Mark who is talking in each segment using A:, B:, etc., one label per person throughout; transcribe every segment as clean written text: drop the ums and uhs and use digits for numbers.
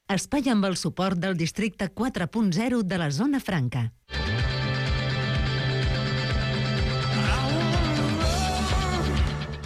A: Espai amb el suport del districte 4.0 de la Zona Franca.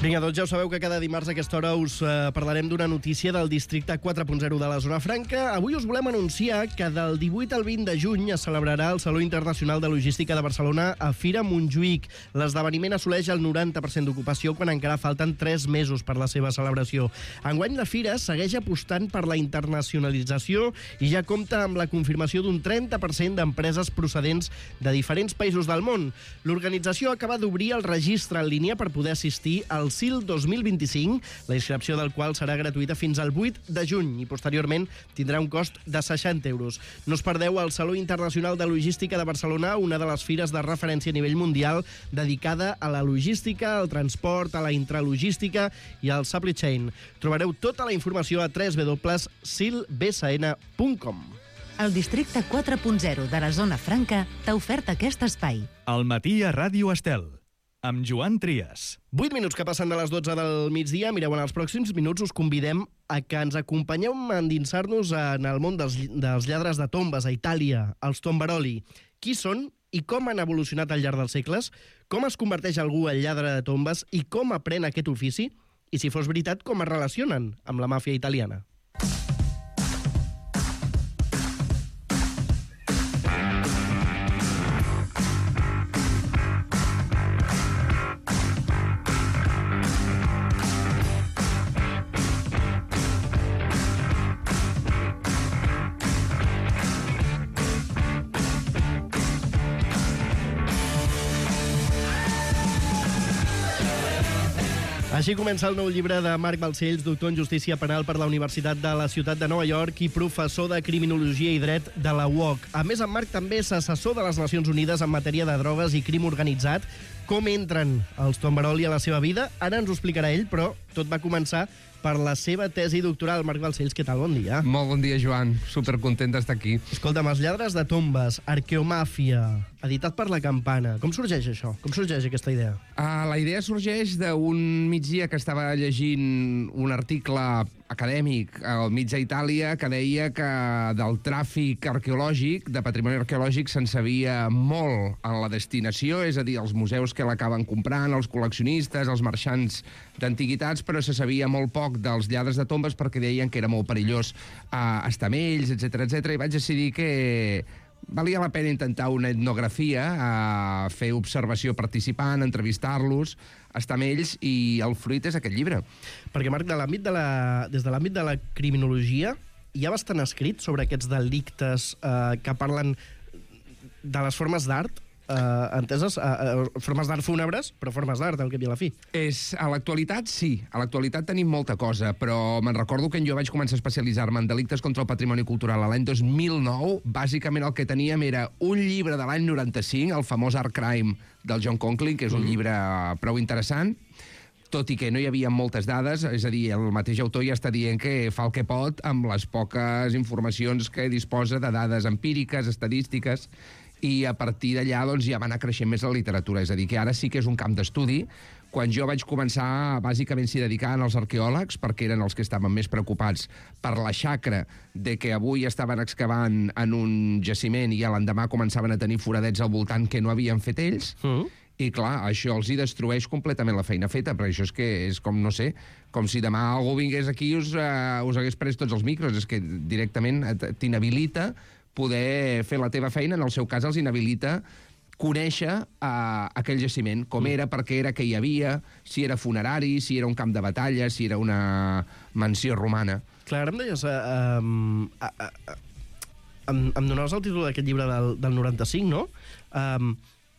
B: Vinga, doncs ja ho sabeu que cada dimarts a aquesta hora us parlarem d'una notícia del districte 4.0 de la Zona Franca. Avui us volem anunciar que del 18 al 20 de juny es celebrarà el Saló Internacional de Logística de Barcelona a Fira Montjuïc. L'esdeveniment assoleix el 90% d'ocupació quan encara falten 3 mesos per la seva celebració. Enguany la Fira segueix apostant per la internacionalització i ja compta amb la confirmació d'un 30% d'empreses procedents de diferents països del món. L'organització acaba d'obrir el registre en línia per poder assistir al SIL 2025, la inscripció del qual serà gratuïta fins al 8 de juny i posteriorment tindrà un cost de 60 euros. No us perdeu el Saló Internacional de Logística de Barcelona, una de les fires de referència a nivell mundial dedicada a la logística, al transport, a la intralogística i al supply chain. Trobareu tota la informació a www.silbsn.com.
A: El districte 4.0 de la Zona Franca t'ha ofert aquest espai.
C: Al matí a Ràdio Estel, amb Joan Trias.
B: 8 minuts que passen de les 12 del migdia. Mireu, en els pròxims minuts us convidem a que ens acompanyeu a endinsar-nos en el món dels lladres de tombes a Itàlia, els tombaroli. Qui són i com han evolucionat al llarg dels segles? Com es converteix algú en lladre de tombes i com aprèn aquest ofici? I si fos veritat, com es relacionen amb la màfia italiana? Així comença el nou llibre de Marc Balcells, doctor en Justícia Penal per la Universitat de la Ciutat de Nova York i professor de Criminologia i Dret de la UOC. A més, en Marc també és assessor de les Nacions Unides en matèria de drogues i crim organitzat. Com entren els tombaroli a la seva vida? Ara ens ho explicarà ell, però tot va començar per la seva tesi doctoral. Marc Balcells, què tal? Bon dia.
D: Molt bon dia, Joan. Supercontent d'estar aquí.
B: Escolta'm, els lladres de tombes, arqueomàfia, editat per La Campana. Com sorgeix això? Com sorgeix aquesta idea?
D: La idea sorgeix d'un migdia que estava llegint un article acadèmic al mig d'Itàlia que deia que del tràfic arqueològic, de patrimoni arqueològic, se'n sabia molt en la destinació, és a dir, els museus que l'acaben comprant, els col·leccionistes, els marxants d'antiguitats, però se sabia molt poc dels lladres de tombes perquè deien que era molt perillós estar amb ells, etc etc. I vaig decidir que valia la pena intentar una etnografia, fer observació participant, entrevistar-los, estar amb ells, i el fruit és aquest llibre.
B: Perquè, Marc, des de l'àmbit de la criminologia hi ha bastant escrit sobre aquests delictes que parlen de les formes d'art, enteses, formes d'art fúnebres, però formes d'art, al cap i a la fi.
D: A l'actualitat, sí. A l'actualitat tenim molta cosa, però me'n recordo que jo vaig començar a especialitzar-me en delictes contra el patrimoni cultural a l'any 2009. Bàsicament el que teníem era un llibre de l'any 95, el famós Art Crime del John Conklin, que és un llibre prou interessant, tot i que no hi havia moltes dades, és a dir, el mateix autor ja està dient que fa el que pot amb les poques informacions que disposa de dades empíriques, estadístiques, i a partir d'allà doncs, ja va anar creixent més la literatura. És a dir, que ara sí que és un camp d'estudi. Quan jo vaig començar, bàsicament s'hi dedicaven els arqueòlegs, perquè eren els que estaven més preocupats per la xacra de que avui estaven excavant en un jaciment i a l'endemà començaven a tenir foradets al voltant que no havien fet ells. I clar, això els hi destrueix completament la feina feta, però això és que és com, no sé, com si demà algú vingués aquí i us hagués pres tots els micros. És que directament t'inhabilita poder fer la teva feina, en el seu cas els inhabilita conèixer aquell jaciment, com era, per què era, què hi havia, si era funerari, si era un camp de batalla, si era una mansió romana.
B: Clar, ara em deies... em donaves el títol d'aquest llibre del 95, no?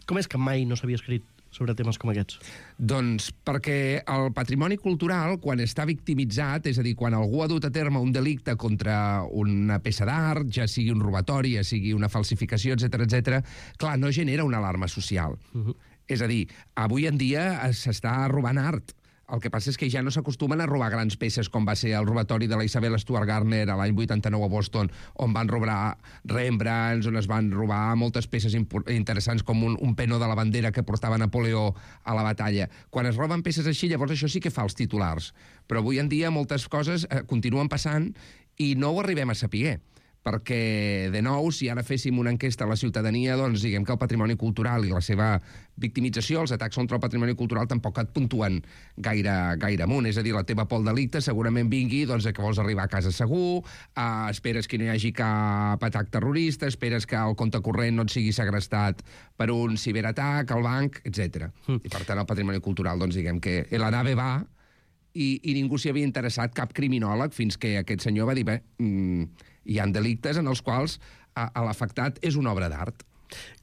B: Com és que mai no s'havia escrit sobre temes com aquests?
D: Doncs perquè el patrimoni cultural, quan està victimitzat, és a dir, quan algú ha dut a terme un delicte contra una peça d'art, ja sigui un robatori, ja sigui una falsificació, etc, clar, no genera una alarma social. És a dir, avui en dia s'està robant art. El que passa és que ja no s'acostumen a robar grans peces, com va ser el robatori de la Isabel Stuart Gardner a l'any 89 a Boston, on van robar Rembrandts, on es van robar moltes peces interessants, com un penó de la bandera que portava Napoleó a la batalla. Quan es roben peces així, llavors això sí que fa els titulars. Però avui en dia moltes coses continuen passant I no ho arribem a saber, perquè, de nou, si ara féssim una enquesta a la ciutadania, doncs diguem que el patrimoni cultural i la seva victimització, els atacs contra el patrimoni cultural, tampoc et puntuen gaire amunt. És a dir, la teva por al delicte segurament vingui doncs, que vols arribar a casa segur, esperes que no hi hagi cap atac terrorista, esperes que el compte corrent no et sigui segrestat per un ciberatac, al banc, etc. I, per tant, el patrimoni cultural, doncs diguem que la nave va i ningú s'hi havia interessat, cap criminòleg, fins que aquest senyor va dir, bé, hi ha delictes en els quals l'afectat és una obra d'art.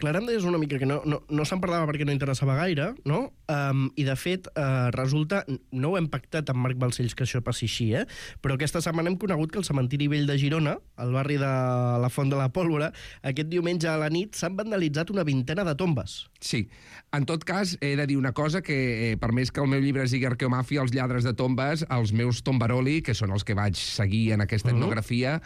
B: Clar, em deies una mica que no se'n parlava perquè no interessava gaire, no? I, de fet, resulta... No ho hem pactat amb Marc Balcells que això passi així, però aquesta setmana hem conegut que el cementiri vell de Girona, al barri de la Font de la Pólvora, aquest diumenge a la nit s'han vandalitzat una vintena de tombes.
D: Sí. En tot cas, he de dir una cosa, que per més que el meu llibre es digui Arqueomàfia, els lladres de tombes, els meus tombaroli, que són els que vaig seguir en aquesta etnografia,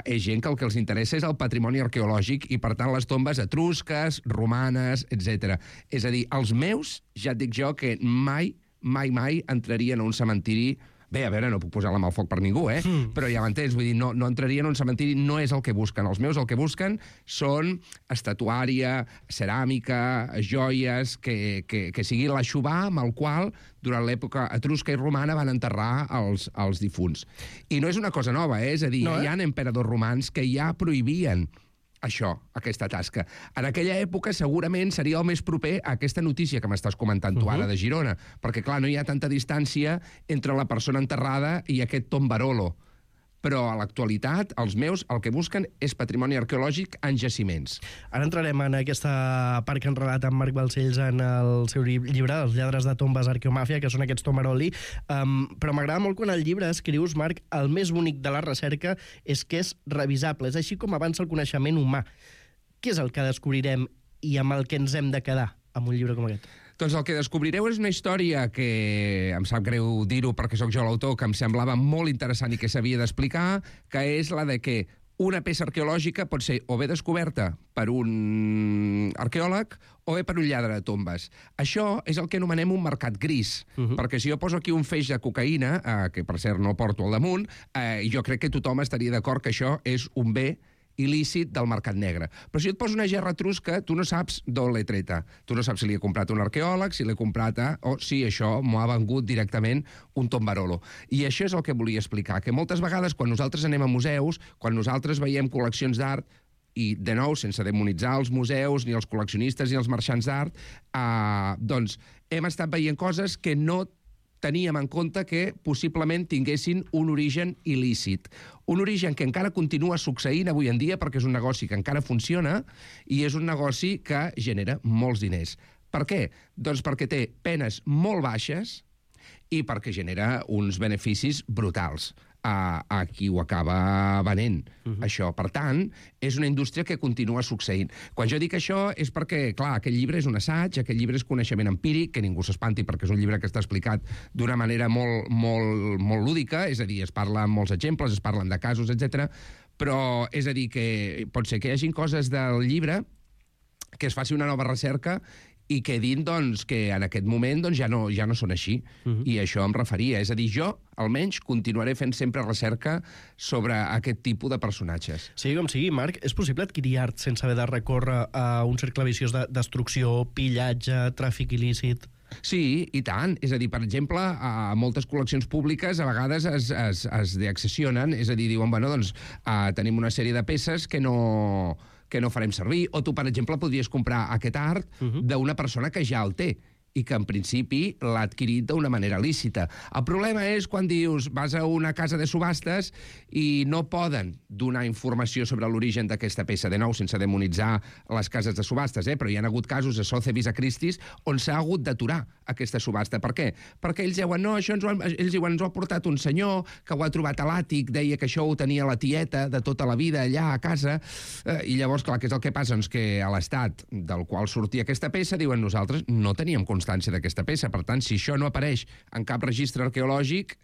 D: és gent que el que els interessa és el patrimoni arqueològic i, per tant, les tombes etrusques, romanes, etc. És a dir, els meus, ja et dic jo, que mai entrarien a un cementiri... Bé, a veure, no puc posar la mà al foc per ningú, però ja m'entens, vull dir, no entrarien a un cementiri, no és el que busquen. Els meus el que busquen són estatuària, ceràmica, joies, que sigui l'aixovar amb el qual, durant l'època etrusca i romana, van enterrar els difunts. I no és una cosa nova, és a dir, hi ha emperadors romans que ja prohibien això, aquesta tasca. En aquella època segurament seria el més proper a aquesta notícia que m'estàs comentant tu ara de Girona, perquè, clar, no hi ha tanta distància entre la persona enterrada i aquest tombarolo. Però a l'actualitat, els meus el que busquen és patrimoni arqueològic en jaciments.
B: Ara entrarem en aquesta part que han relat amb Marc Balcells en el seu llibre, Els lladres de tombes Arqueomàfia, que són aquests tomaroli, però m'agrada molt quan al llibre escrius, Marc, el més bonic de la recerca és que és revisable, és així com avança el coneixement humà. Què és el que descobrirem i amb el que ens hem de quedar amb un llibre com aquest?
D: Doncs el que descobrireu és una història que em sap greu dir-ho perquè sóc jo l'autor, que em semblava molt interessant i que s'havia d'explicar, que és la de que una peça arqueològica pot ser o bé descoberta per un arqueòleg o bé per un lladre de tombes. Això és el que anomenem un mercat gris, perquè si jo poso aquí un feix de cocaïna, que per cert no porto al damunt, jo crec que tothom estaria d'acord que això és un bé il·lícit del mercat negre. Però si et poso una gerra etrusca, tu no saps d'on l'he treta. Tu no saps si li he comprat un arqueòleg, si l'he comprat o si això m'ho ha vengut directament un tombarolo. I això és el que volia explicar, que moltes vegades quan nosaltres anem a museus, quan nosaltres veiem col·leccions d'art, i, de nou, sense demonitzar els museus, ni els col·leccionistes, ni els marxants d'art, doncs hem estat veient coses que no teníem en compte que possiblement tinguessin un origen il·lícit. Un origen que encara continua succeint avui en dia perquè és un negoci que encara funciona i és un negoci que genera molts diners. Per què? Doncs perquè té penes molt baixes i perquè genera uns beneficis brutals a qui ho acaba venent, això. Per tant, és una indústria que continua succeint. Quan jo dic això és perquè, clar, aquest llibre és un assaig, aquest llibre és coneixement empíric, que ningú s'espanti perquè és un llibre que està explicat d'una manera molt lúdica, és a dir, es parla amb molts exemples, es parlen de casos, etc. Però és a dir, que pot ser que hi hagin coses del llibre que es faci una nova recerca i que din, doncs, que en aquest moment doncs, ja no són així. I això em referia. És a dir, jo, almenys, continuaré fent sempre recerca sobre aquest tipus de personatges.
B: Sigui com sigui, Marc, és possible adquirir art sense haver de recórrer a un cercle viciós de destrucció, pillatge, tràfic il·lícit?
D: Sí, i tant. És a dir, per exemple, a moltes col·leccions públiques a vegades es deaccessionen, és a dir, diuen, bueno, doncs tenim una sèrie de peces que no farem servir, o tu, per exemple, podries comprar aquest art d'una persona que ja el té i que en principi l'ha adquirit d'una manera lícita. El problema és quan dius, vas a una casa de subhastes i no poden donar informació sobre l'origen d'aquesta peça, de nou, sense demonitzar les cases de subhastes, però hi ha hagut casos a Sotheby's, a Christie's, on s'ha hagut d'aturar aquesta subhasta. Per què? Perquè ells diuen, no, això ells diuen, ens ho ha portat un senyor que ho ha trobat a l'àtic, deia que això ho tenia la tieta de tota la vida allà a casa, i llavors, clar, què és el que passa? Doncs que a l'estat del qual sortia aquesta peça, diuen, nosaltres no teníem constància d'aquesta peça. Per tant, si això no apareix en cap registre arqueològic,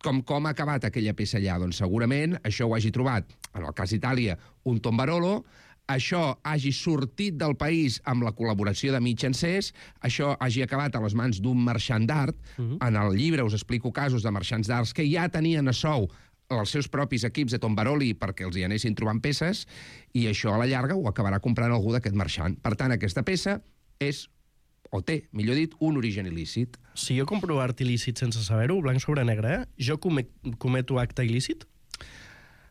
D: com ha acabat aquella peça allà? Doncs segurament això ho hagi trobat, en el cas d'Itàlia, un tombarolo, això hagi sortit del país amb la col·laboració de mitjancers, això hagi acabat a les mans d'un marxant d'art. En el llibre us explico casos de marxants d'arts que ja tenien a sou els seus propis equips de tombaroli perquè els hi anessin trobant peces, i això a la llarga ho acabarà comprant algú d'aquest marxant. Per tant, aquesta peça és, o té, millor dit, un origen il·lícit.
B: Si jo compro art il·lícit sense saber-ho, blanc sobre negre, jo cometo acte il·lícit?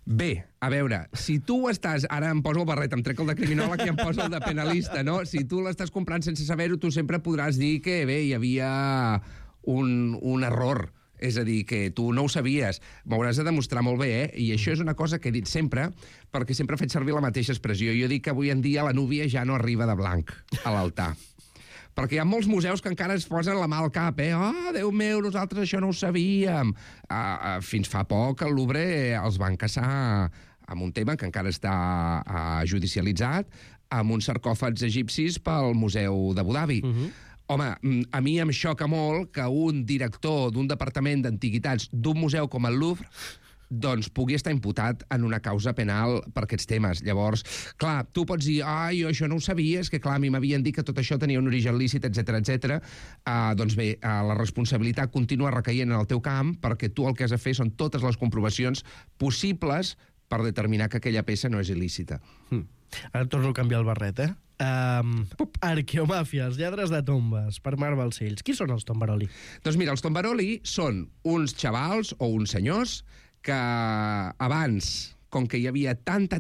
D: Bé, a veure, si tu estàs... Ara em poso el barret, em trec el de criminòleg i em poso el de penalista, no? Si tu l'estàs comprant sense saber-ho, tu sempre podràs dir que, bé, hi havia un error. És a dir, que tu no ho sabies. M'hauràs de demostrar molt bé, I això és una cosa que he dit sempre, perquè sempre he fet servir la mateixa expressió. Jo dic que avui en dia la núvia ja no arriba de blanc a l'altar. Perquè hi ha molts museus que encara es posen la mà al cap, Oh, Déu meu, nosaltres això no ho sabíem. Fins fa poc el Louvre els van caçar amb un tema que encara està judicialitzat, amb uns sarcòfags egipcis pel Museu d'Abu Dhabi. Home, a mi em xoca molt que un director d'un departament d'antiguitats d'un museu com el Louvre doncs pugui estar imputat en una causa penal per aquests temes. Llavors, clar, tu pots dir, jo això no ho sabia, és que clar, a mi m'havien dit que tot això tenia un origen lícit, etc. Doncs bé, la responsabilitat continua recaient en el teu camp perquè tu el que has de fer són totes les comprovacions possibles per determinar que aquella peça no és il·lícita.
B: Ara torno a canviar el barret, Arqueomàfia, els lladres de tombes, per Marc Balcells. Qui són els tombaroli?
D: Doncs mira, els tombaroli són uns xavals o uns senyors que abans, com que hi havia tanta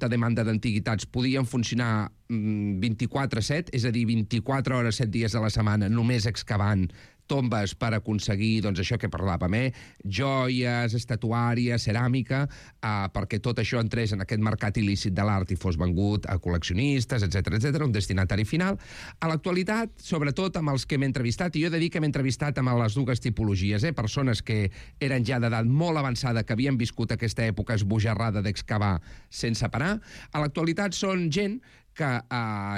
D: demanda d'antiguitats, podien funcionar 24/7, és a dir, 24 hores, 7 dies a la setmana, només excavant tombes per aconseguir, doncs, això que parlàvem, joies, estatuàries, ceràmica, perquè tot això entrés en aquest mercat il·lícit de l'art i fos vengut a col·leccionistes, etc., un destinatari final. A l'actualitat, sobretot amb els que m'he entrevistat, i jo he de dir que m'he entrevistat amb les dues tipologies, persones que eren ja d'edat molt avançada, que havien viscut aquesta època esbojarrada d'excavar sense parar, a l'actualitat són gent que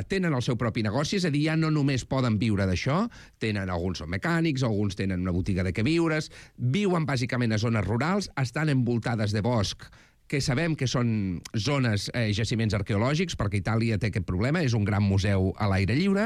D: tenen el seu propi negoci, és a dir, ja no només poden viure d'això, alguns són mecànics, alguns tenen una botiga de queviures, viuen bàsicament a zones rurals, estan envoltades de bosc, que sabem que són zones, jaciments arqueològics, perquè Itàlia té aquest problema, és un gran museu a l'aire lliure,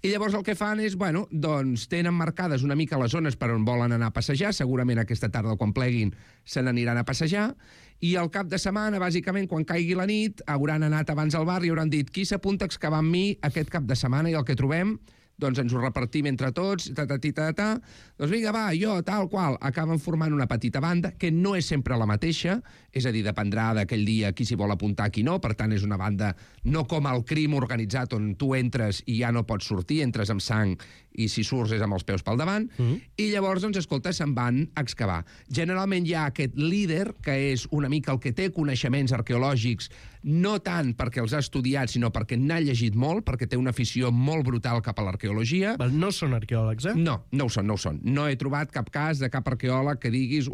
D: i llavors el que fan és, doncs tenen marcades una mica les zones per on volen anar a passejar, segurament aquesta tarda quan pleguin se n'aniran a passejar, i al cap de setmana, bàsicament, quan caigui la nit, hauran anat abans al bar i hauran dit qui s'apunta a excavar amb mi aquest cap de setmana, i el que trobem doncs ens ho repartim entre tots, doncs vinga, va, jo, tal qual, acaben formant una petita banda, que no és sempre la mateixa, és a dir, dependrà d'aquell dia qui s'hi vol apuntar, qui no, per tant és una banda no com el crim organitzat on tu entres i ja no pots sortir, entres amb sang i si surts és amb els peus pel davant, i llavors, doncs, escolta, se'n van a excavar. Generalment hi ha aquest líder, que és una mica el que té coneixements arqueològics, no tant perquè els ha estudiat, sinó perquè n'ha llegit molt, perquè té una afició molt brutal cap a l'arqueologia.
B: No són arqueòlegs,
D: No, no ho són, no ho són. No he trobat cap cas de cap arqueòleg que diguis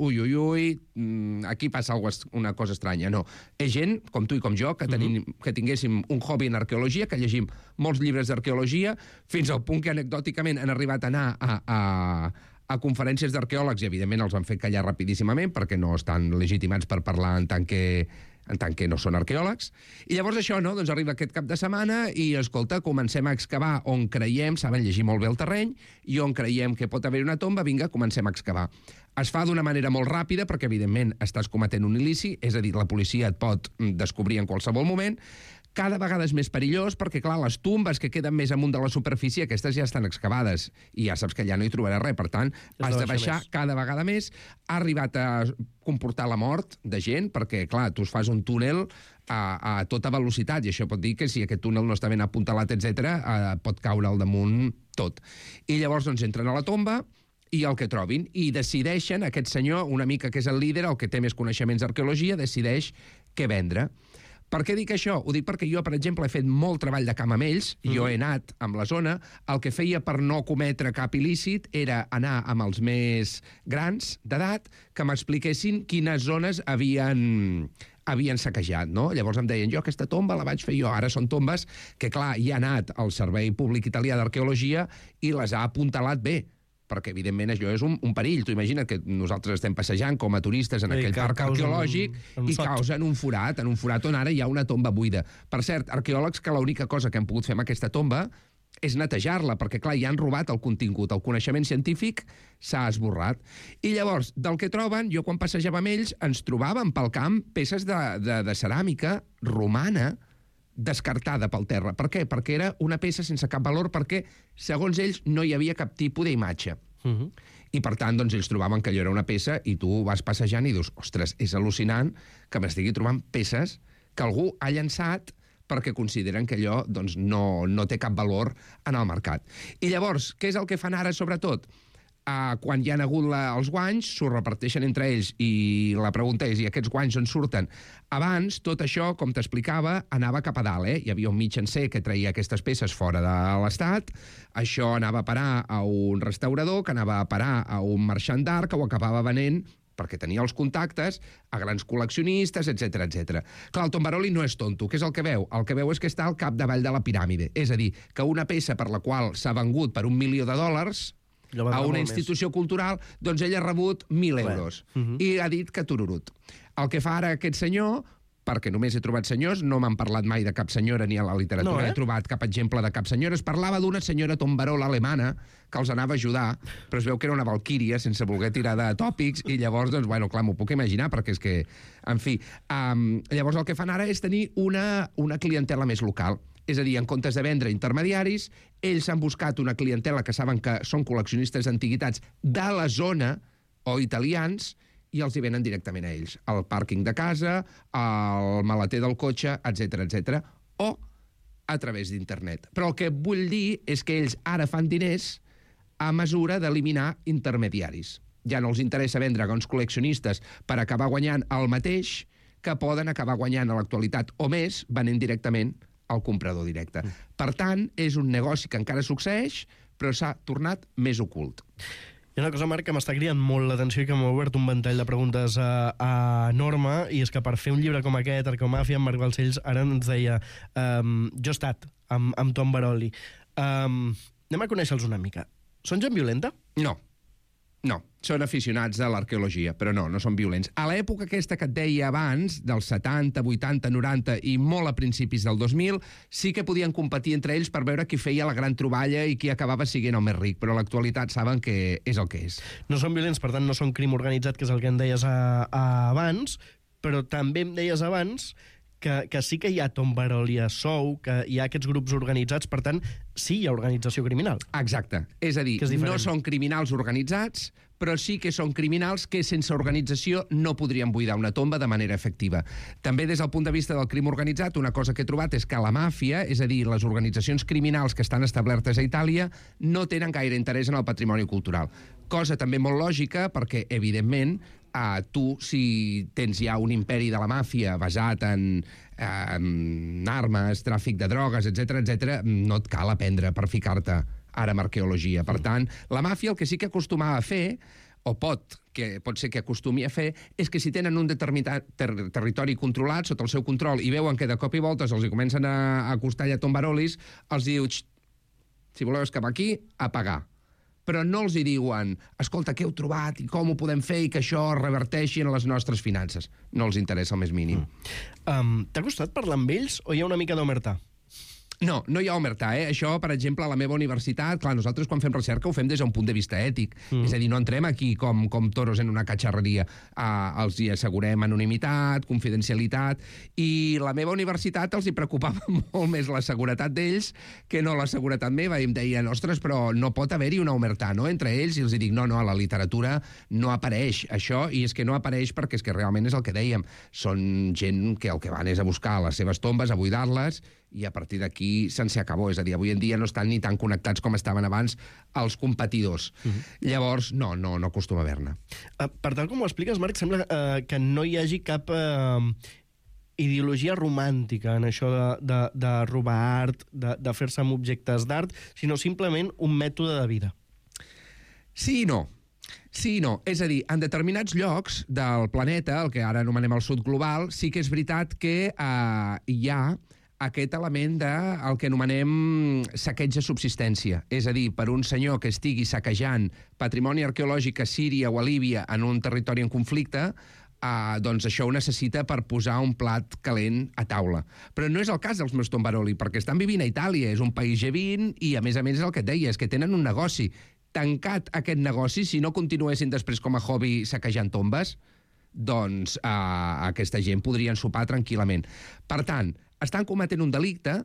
D: aquí passa una cosa estranya. No. És gent, com tu i com jo, que tinguéssim un hobby en arqueologia, que llegim molts llibres d'arqueologia, fins al punt que anecdòticament han arribat a anar a conferències d'arqueòlegs i, evidentment, els han fet callar rapidíssimament perquè no estan legitimats per parlar en tant que no són arqueòlegs. I llavors això, doncs arriba aquest cap de setmana i, escolta, comencem a excavar on creiem, saben llegir molt bé el terreny, i on creiem que pot haver una tomba, vinga, comencem a excavar. Es fa d'una manera molt ràpida perquè, evidentment, estàs cometent un il·lícit, és a dir, la policia et pot descobrir en qualsevol moment. Cada vegada és més perillós perquè, clar, les tombes que queden més amunt de la superfície, aquestes ja estan excavades i ja saps que allà no hi trobaràs res. Per tant, has de baixar cada vegada més. Ha arribat a comportar la mort de gent perquè, clar, tu fas un túnel a tota velocitat i això pot dir que si aquest túnel no està ben apuntalat, etc., pot caure al damunt tot. I llavors, doncs, entren a la tomba i el que trobin, i decideixen, aquest senyor, una mica que és el líder, el que té més coneixements d'arqueologia, decideix què vendre. Per què dic això? Ho dic perquè jo, per exemple, he fet molt treball de camp amb ells, jo he anat amb la zona, el que feia per no cometre cap il·lícit era anar amb els més grans d'edat que m'expliquessin quines zones havien saquejat, no? Llavors em deien, jo aquesta tomba la vaig fer jo. Ara són tombes que, clar, hi ha anat el Servei Públic Italià d'Arqueologia i les ha apuntalat bé, perquè, evidentment, això és un perill. Tu imagina't que nosaltres estem passejant com a turistes en aquell parc arqueològic i causen un forat on ara hi ha una tomba buida. Per cert, arqueòlegs que l'única cosa que han pogut fer amb aquesta tomba és netejar-la, perquè, clar, ja han robat el contingut. El coneixement científic s'ha esborrat. I llavors, del que troben, jo quan passejava amb ells, ens trobàvem pel camp peces de ceràmica romana descartada pel terra. Per què? Perquè era una peça sense cap valor, perquè, segons ells, no hi havia cap tipus d'imatge. I, per tant, doncs, ells trobaven que allò era una peça i tu vas passejant i dius, ostres, és al·lucinant que m'estigui trobant peces que algú ha llançat perquè consideren que allò doncs, no té cap valor en el mercat. I llavors, què és el que fan ara, sobretot? Quan hi ha hagut els guanys, s'ho reparteixen entre ells i la pregunta és, i aquests guanys on surten? Abans, tot això, com t'explicava, anava cap a dalt. Hi havia un mitjancer que traia aquestes peces fora de l'Estat, això anava a parar a un restaurador, que anava a parar a un marxant d'art, que ho acabava venent perquè tenia els contactes, a grans col·leccionistes, etc etc. Clar, el Tombaroli no és tonto. Què és el que veu? El que veu és que està al capdavall de la piràmide. És a dir, que una peça per la qual s'ha vengut per $1 milió a una institució cultural, doncs ell ha rebut 1.000 euros. I ha dit que tururut. El que fa ara aquest senyor, perquè només he trobat senyors, no m'han parlat mai de cap senyora ni a la literatura, he trobat cap exemple de cap senyora. Es parlava d'una senyora tombarola alemana que els anava a ajudar, però es veu que era una valquíria sense voler tirar de tòpics, i llavors, doncs, bueno, clar, m'ho puc imaginar, perquè és que, en fi, llavors el que fan ara és tenir una clientela més local. És a dir, en comptes de vendre intermediaris, ells han buscat una clientela que saben que són col·leccionistes d'antiguitats de la zona, o italians, i els hi venen directament a ells. Al pàrquing de casa, al maleter del cotxe, etc etc, o a través d'internet. Però el que vull dir és que ells ara fan diners a mesura d'eliminar intermediaris. Ja no els interessa vendre a uns col·leccionistes per acabar guanyant el mateix que poden acabar guanyant a l'actualitat, o més, venent directament al comprador directe. Per tant, és un negoci que encara succeeix, però s'ha tornat més ocult.
B: Hi ha una cosa, Marc, que m'està cridant molt l'atenció i que m'ha obert un ventall de preguntes enorme, i és que per fer un llibre com aquest, Arqueomàfia, en Marc Balcells ara ens deia jo he estat amb Tom Baroli. Anem a conèixer-los una mica. Són gent violenta? No, són aficionats a l'arqueologia, però no són violents. A l'època aquesta que et deia abans, dels 70, 80, 90 i molt a principis del 2000, sí que podien competir entre ells per veure qui feia la gran troballa i qui acabava sent el més ric, però a l'actualitat saben que és el que és. No són violents, per tant no són crim organitzat, que és el que em deies abans, però també em deies abans que sí que hi ha Tom Baroli a sou, que hi ha aquests grups organitzats, per tant, sí hi ha organització criminal. Exacte. És a dir, no són criminals organitzats, però sí que són criminals que sense organització no podrien buidar una tomba de manera efectiva. També des del punt de vista del crim organitzat, una cosa que he trobat és que la màfia, és a dir, les organitzacions criminals que estan establertes a Itàlia, no tenen gaire interès en el patrimoni cultural. Cosa també molt lògica, perquè, evidentment, tu, si tens ja un imperi de la màfia basat en armes, tràfic de drogues, etc, no et cal aprendre per ficar-te ara en arqueologia. Per tant, la màfia el que sí que acostumava a fer, o pot ser que acostumi a fer, és que si tenen un determinat territori controlat, sota el seu control, i veuen que de cop i voltes els hi comencen a acostar ja tombarolis, els diu, si voleu escapar aquí, a pagar. Però no els hi diuen, escolta, què heu trobat i com ho podem fer i que això reverteixi en les nostres finances. No els interessa el més mínim. T'ha costat parlar amb ells o hi ha una mica d'omertà? No hi ha omertà, Això, per exemple, a la meva universitat, clar, nosaltres quan fem recerca ho fem des d'un punt de vista ètic. És a dir, no entrem aquí com toros en una catxarreria. Els hi assegurem anonimitat, confidencialitat, i la meva universitat els hi preocupava molt més la seguretat d'ells que no la seguretat meva. I em deien, ostres, però no pot haver-hi una omertà, no?, entre ells. I els dic, no, a la literatura no apareix això, i és que no apareix perquè és que realment és el que dèiem. Són gent que el que van és a buscar les seves tombes, a buidar-les, i a partir d'aquí se'n acabó. És a dir, avui en dia no estan ni tan connectats com estaven abans els competidors. Llavors, no acostuma a haver-ne. Per tal com ho expliques, Marc, sembla que no hi hagi cap ideologia romàntica en això de robar art, de fer-se amb objectes d'art, sinó simplement un mètode de vida. Sí i no. Sí i no. És a dir, en determinats llocs del planeta, el que ara anomenem el sud global, sí que és veritat que hi ha aquest element del que anomenem saqueig de subsistència. És a dir, per un senyor que estigui saquejant patrimoni arqueològic a Síria o a Líbia en un territori en conflicte,
D: doncs això ho necessita per posar un plat calent a taula. Però no és el cas dels meus tombaroli, perquè estan vivint a Itàlia, és un país G20, i a més és el que et deia, és que tenen un negoci. Tancat aquest negoci, si no continuessin després com a hobby saquejant tombes, doncs aquesta gent podrien sopar tranquil·lament. Per tant, estan cometent un delicte,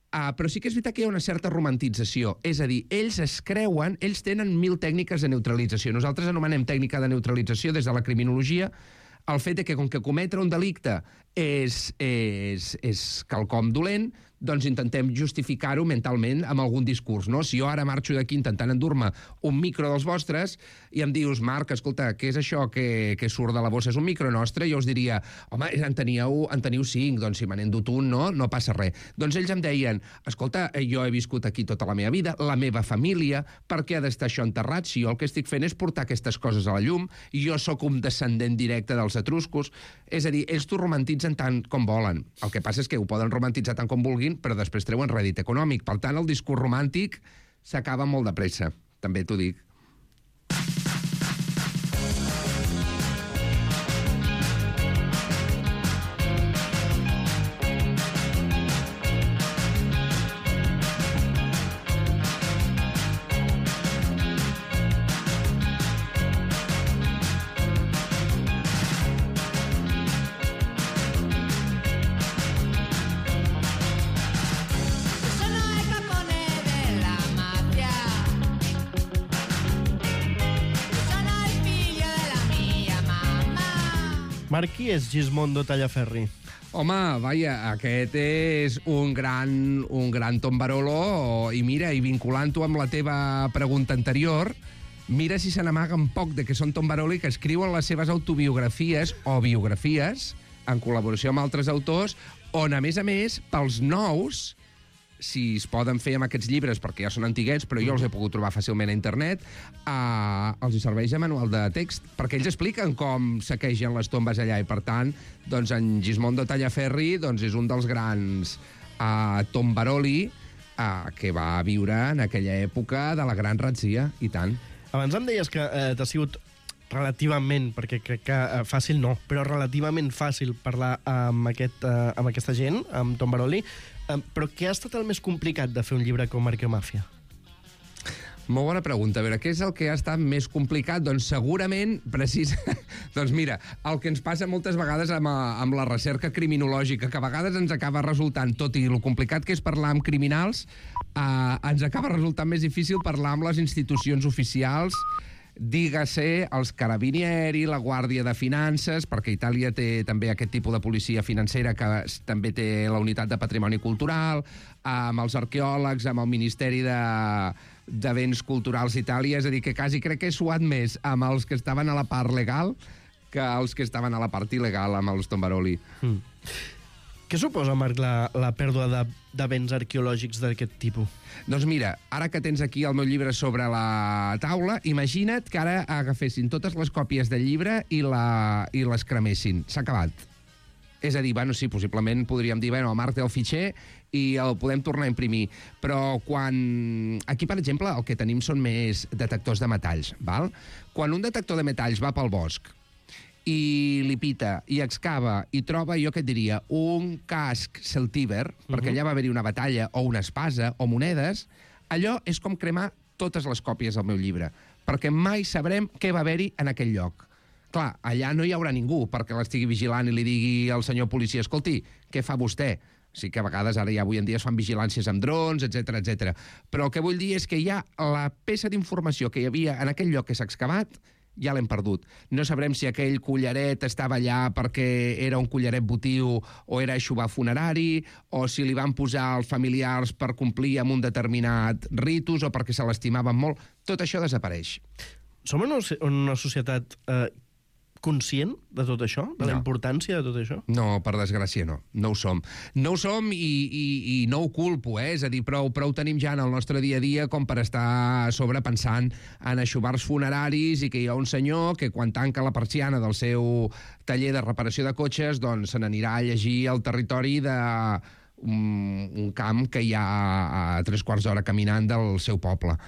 D: però sí que és veritat que hi ha una certa romantització. És a dir, ells es creuen, ells tenen 1000 tècniques de neutralització. Nosaltres anomenem tècnica de neutralització des de la criminologia el fet de que, com que cometre un delicte és quelcom dolent, doncs intentem justificar-ho mentalment amb algun discurs, no? Si jo ara marxo d'aquí intentant endur-me un micro dels vostres i em dius, Marc, escolta, què és això que surt de la bossa? És un micro nostre? Jo us diria, home, en teniu 5, doncs si me n'he endut un, no passa res. Doncs ells em deien, escolta, jo he viscut aquí tota la meva vida, la meva família, per què ha d'estar això enterrat? Si jo el que estic fent és portar aquestes coses a la llum, i jo sóc un descendent directe dels etruscos. És a dir, ells t'ho romantitzen tant com volen. El que passa és que ho poden romantitzar tant com vulguin, però després treuen rèdit econòmic. Per tant, el discurs romàntic s'acaba molt de pressa, també t'ho dic.
B: Marc, qui és Gismondo Tallaferri?
D: Home, vaja, aquest és un gran tombarolo, i mira, i vinculant-ho amb la teva pregunta anterior, mira si se n'amaguen poc de que són tombaroli, que escriuen les seves autobiografies o biografies en col·laboració amb altres autors, on, a més, pels nous, si es poden fer amb aquests llibres, perquè ja són antiguets, però jo els he pogut trobar fàcilment a internet, els hi serveix de manual de text, perquè ells expliquen com saquegen les tombes allà, i per tant, doncs en Gismondo Tallaferri doncs és un dels grans tombaroli que va viure en aquella època de la gran ratzia, i tant.
B: Abans em deies que t'ha sigut relativament, perquè crec que fàcil no, però relativament fàcil parlar amb aquesta gent, amb tombaroli. Però què ha estat el més complicat de fer un llibre com Arqueomàfia?
D: Molt bona pregunta. A veure, què és el que ha estat més complicat? Doncs segurament, doncs mira, el que ens passa moltes vegades amb la recerca criminològica, que a vegades ens acaba resultant, tot i el complicat que és parlar amb criminals, ens acaba resultant més difícil parlar amb les institucions oficials, dígase els Carabinieri, la Guàrdia de Finances, perquè Itàlia té també aquest tipus de policia financera que també té la unitat de patrimoni cultural, amb els arqueòlegs, amb el Ministeri de Béns Culturals d'Itàlia, és a dir, que quasi crec que he suat més amb els que estaven a la part legal que els que estaven a la part il·legal amb els tombaroli.
B: Què suposa, Marc, la pèrdua de béns arqueològics d'aquest tipus?
D: Doncs mira, ara que tens aquí el meu llibre sobre la taula, imagina't que ara agafessin totes les còpies del llibre i les cremessin. S'ha acabat. És a dir, bueno, sí, possiblement podríem dir, bueno, el Marc té el fitxer i el podem tornar a imprimir. Però quan... Aquí, per exemple, el que tenim són més detectors de metalls, val? Quan un detector de metalls va pel bosc i li pita, i excava, i troba, jo què et diria, un casc celtíber, perquè allà va haver-hi una batalla, o una espasa, o monedes, allò és com cremar totes les còpies del meu llibre, perquè mai sabrem què va haver-hi en aquell lloc. Clar, allà no hi haurà ningú perquè l'estigui vigilant i li digui al senyor policia, escolti, què fa vostè? Sí que a vegades, ara ja avui en dia es fan vigilàncies amb drons, etc. Però el que vull dir és que ja la peça d'informació que hi havia en aquell lloc que s'ha excavat ja l'hem perdut. No sabrem si aquell collaret estava allà perquè era un collaret votiu o era aixovar funerari, o si li van posar els familiars per complir amb un determinat ritus o perquè se l'estimaven molt. Tot això desapareix.
B: Som en una societat conscient de tot això? De la importància de tot això?
D: No, per desgràcia no. No ho som. No ho som i no ho culpo, És a dir, prou tenim ja en el nostre dia a dia com per estar a sobre pensant en aixovars funeraris i que hi ha un senyor que quan tanca la persiana del seu taller de reparació de cotxes doncs se n'anirà a llegir el territori d'un camp que hi ha a 3/4 d'hora caminant del seu poble.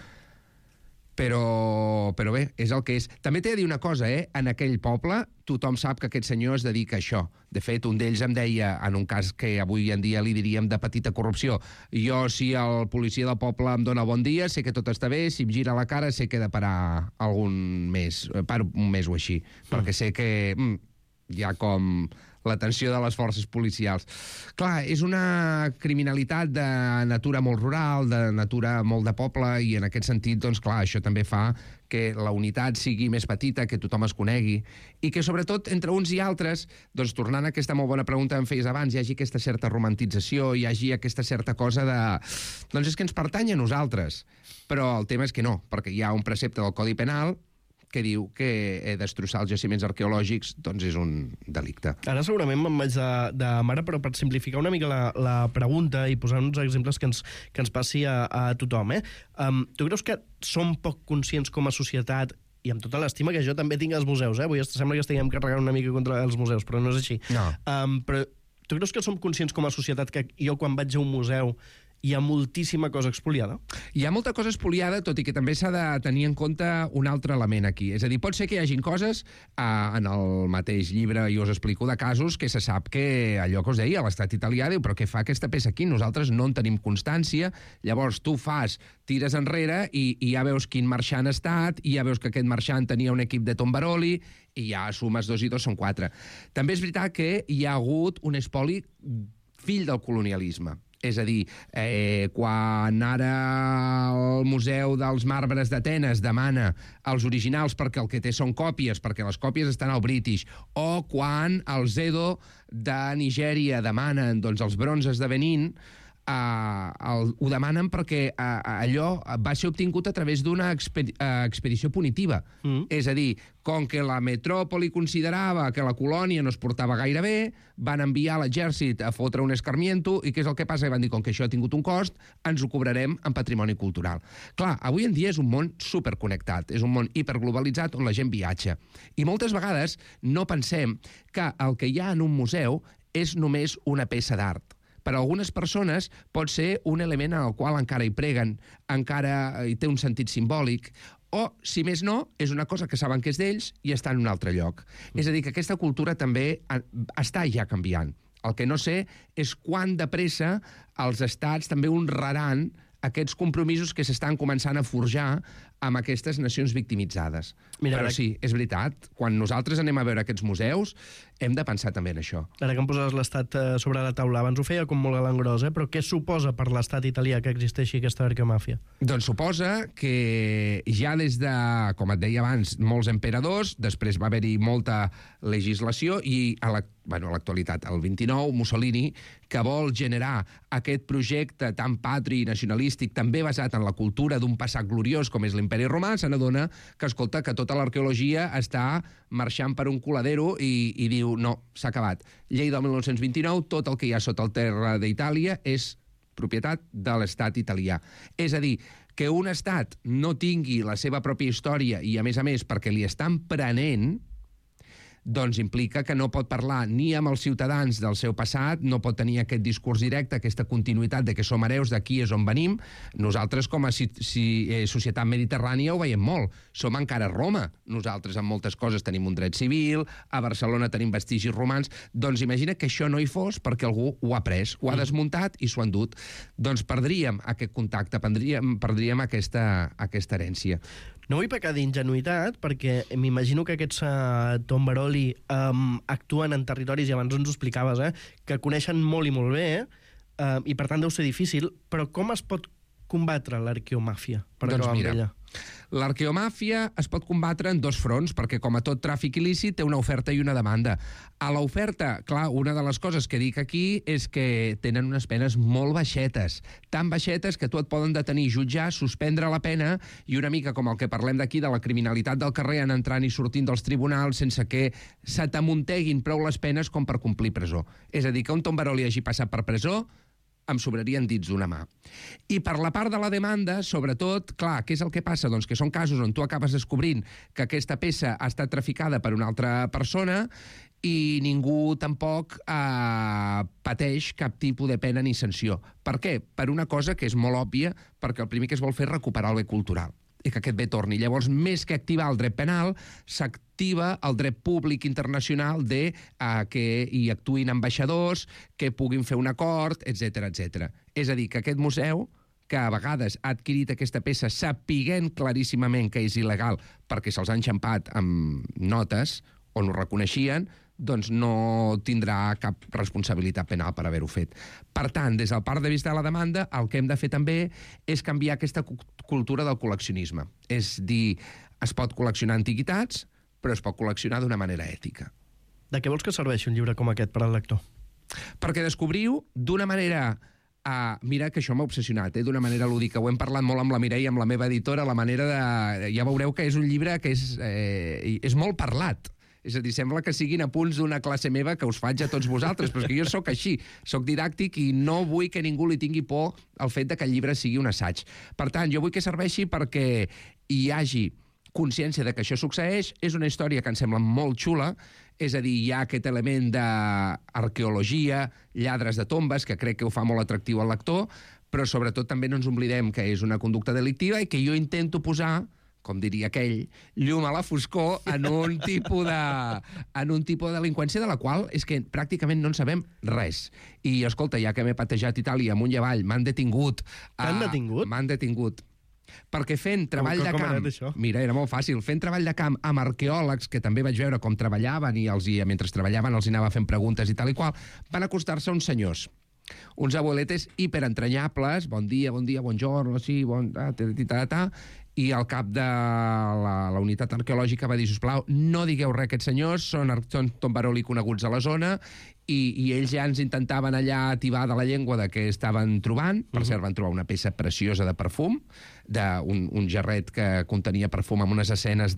D: Però bé, és el que és. També t'he de dir una cosa, en aquell poble tothom sap que aquest senyor es dedica a això. De fet, un d'ells em deia, en un cas que avui en dia li diríem de petita corrupció, jo, si el policia del poble em dona bon dia, sé que tot està bé, si em gira la cara sé que he de parar un mes o així, perquè sé que hi ha com l'atenció de les forces policials. Clar, és una criminalitat de natura molt rural, de natura molt de poble, i en aquest sentit, doncs clar, això també fa que la unitat sigui més petita, que tothom es conegui, i que sobretot entre uns i altres, doncs tornant a aquesta molt bona pregunta que em feies abans, hi hagi aquesta certa romantització, hi hagi aquesta certa cosa de... Doncs és que ens pertany a nosaltres. Però el tema és que no, perquè hi ha un precepte del Codi Penal que diu que destrossar els jaciments arqueològics doncs és un delicte.
B: Ara segurament me'n vaig de mare, però per simplificar una mica la pregunta i posar uns exemples que ens passi a tothom, tu creus que som poc conscients com a societat, i amb tota l'estima que jo també tinc als museus, avui sembla que estiguem carregant una mica contra els museus, però no és així.
D: No.
B: Però tu creus que som conscients com a societat que jo quan vaig a un museu hi ha moltíssima cosa expoliada?
D: Hi ha molta cosa expoliada, tot i que també s'ha de tenir en compte un altre element aquí. És a dir, pot ser que hi hagin coses, en el mateix llibre jo us explico de casos que se sap que allò que us deia, l'estat italià diu, però què fa aquesta peça aquí? Nosaltres no en tenim constància, llavors tu tires enrere i ja veus quin marxant ha estat, i ja veus que aquest marxant tenia un equip de tombaroli, i ja sumes 2 i 2 són 4. També és veritat que hi ha hagut un espoli fill del colonialisme. És a dir, quan ara el Museu dels Marbres d'Atenes demana els originals perquè el que té són còpies, perquè les còpies estan al British, o quan els Edo de Nigèria demanen doncs, els bronzes de Benín, ho demanen perquè allò va ser obtingut a través d'una expedició punitiva. És a dir, com que la metròpoli considerava que la colònia no es portava gaire bé, van enviar l'exèrcit a fotre un escarmiento, i què és el que passa? I van dir, com que això ha tingut un cost, ens ho cobrarem en patrimoni cultural. Clar, avui en dia és un món superconnectat, és un món hiperglobalitzat on la gent viatja. I moltes vegades no pensem que el que hi ha en un museu és només una peça d'art. Per a algunes persones pot ser un element en el qual encara hi preguen, encara hi té un sentit simbòlic, o, si més no, és una cosa que saben que és d'ells i està en un altre lloc. És a dir, que aquesta cultura també està ja canviant. El que no sé és quant de pressa els estats també honraran aquests compromisos que s'estan començant a forjar amb aquestes nacions victimitzades.
B: Mira,
D: però sí, és veritat, quan nosaltres anem a veure aquests museus, hem de pensar també en això.
B: Ara que em poses l'Estat sobre la taula, abans ho feia com molt galant gros, però què suposa per l'Estat italià que existeixi aquesta arqueomàfia?
D: Doncs suposa que ja des de, com et deia abans, molts emperadors, després va haver-hi molta legislació i a l'actualitat, el 29, Mussolini, que vol generar aquest projecte tan patri i nacionalístic, també basat en la cultura d'un passat gloriós com és l'Imperi Romà, se n'adona que, escolta, que tota l'arqueologia està marxant per un coladero i diu, no, s'ha acabat. Llei del 1929, tot el que hi ha sota el terra d'Itàlia és propietat de l'estat italià. És a dir, que un estat no tingui la seva pròpia història i, a més, perquè li estan prenent, doncs implica que no pot parlar ni amb els ciutadans del seu passat, no pot tenir aquest discurs directe, aquesta continuïtat de que som hereus, d'aquí és on venim. Nosaltres, com a societat mediterrània, ho veiem molt. Som encara Roma. Nosaltres, en moltes coses, tenim un dret civil, a Barcelona tenim vestigis romans. Doncs imagina que això no hi fos perquè algú ho ha pres, ho ha desmuntat i s'ho ha endut. Doncs perdríem aquest contacte, perdríem aquesta herència.
B: No vull pecar d'ingenuïtat, perquè m'imagino que aquests tombaroli actuen en territoris, i abans ens ho explicaves, que coneixen molt i molt bé, i per tant deu ser difícil, però com es pot combatre l'arqueomàfia?
D: Doncs mira, l'arqueomàfia es pot combatre en 2 fronts, perquè com a tot tràfic il·lícit té una oferta i una demanda. A l'oferta, clar, una de les coses que dic aquí és que tenen unes penes molt baixetes, tan baixetes que tu et poden detenir, jutjar, suspendre la pena, i una mica com el que parlem d'aquí, de la criminalitat del carrer, en entrant i sortint dels tribunals sense que se t'amunteguin prou les penes com per complir presó. És a dir, que un tombaroli hagi passat per presó em sobrarien dits d'una mà. I per la part de la demanda, sobretot, clar, què és el que passa? Doncs que són casos on tu acabes descobrint que aquesta peça ha estat traficada per una altra persona i ningú tampoc pateix cap tipus de pena ni sanció. Per què? Per una cosa que és molt òbvia, perquè el primer que es vol fer és recuperar el bé cultural. i que aquest bé torni. Llavors, més que activar el dret penal, s'activa el dret públic internacional de que hi actuïn ambaixadors, que puguin fer un acord, etc etc. És a dir, que aquest museu, que a vegades ha adquirit aquesta peça sapiguent claríssimament que és il·legal perquè se'ls han enxampat amb notes on ho reconeixien, doncs no tindrà cap responsabilitat penal per haver-ho fet. Per tant, des del punt de vista de la demanda, el que hem de fer també és canviar aquesta cultura del col·leccionisme. És dir, es pot col·leccionar antiguitats, però es pot col·leccionar d'una manera ètica.
B: De què vols que serveixi un llibre com aquest per al lector?
D: Perquè descobriu d'una manera... mira que això m'ha obsessionat, d'una manera lúdica. Ho hem parlat molt amb la Mireia, amb la meva editora, la manera de... Ja veureu que és un llibre que és molt parlat. És a dir, sembla que siguin apunts d'una classe meva que us faig a tots vosaltres, però és que jo sóc així, sóc didàctic i no vull que ningú li tingui por al fet de que el llibre sigui un assaig. Per tant, jo vull que serveixi perquè hi hagi consciència de que això succeeix. És una història que em sembla molt xula, és a dir, hi ha aquest element d'arqueologia, lladres de tombes, que crec que ho fa molt atractiu al lector, però sobretot també no ens oblidem que és una conducta delictiva i que jo intento posar, com diria aquell, llum a la foscor en un tipus de delinqüència de la qual és que pràcticament no en sabem res. I, escolta, ja que m'he patejat Itàlia amunt i avall, m'han detingut.
B: T'han detingut?
D: M'han detingut. Perquè fent treball de camp... Mira, era molt fàcil. Fent treball de camp amb arqueòlegs, que també vaig veure com treballaven i mentre treballaven els anava fent preguntes i tal i qual, van acostar-se uns senyors, uns abueletes hiperentranyables, bon dia, buongiorno, sí, i el cap de la unitat arqueològica va dir, sisplau, no digueu res a aquests senyors, són tombaroli coneguts a la zona, i ells ja ens intentaven allà ativar de la llengua de què estaven trobant. Per cert, van trobar una peça preciosa de perfum, un gerret que contenia perfum amb unes escenes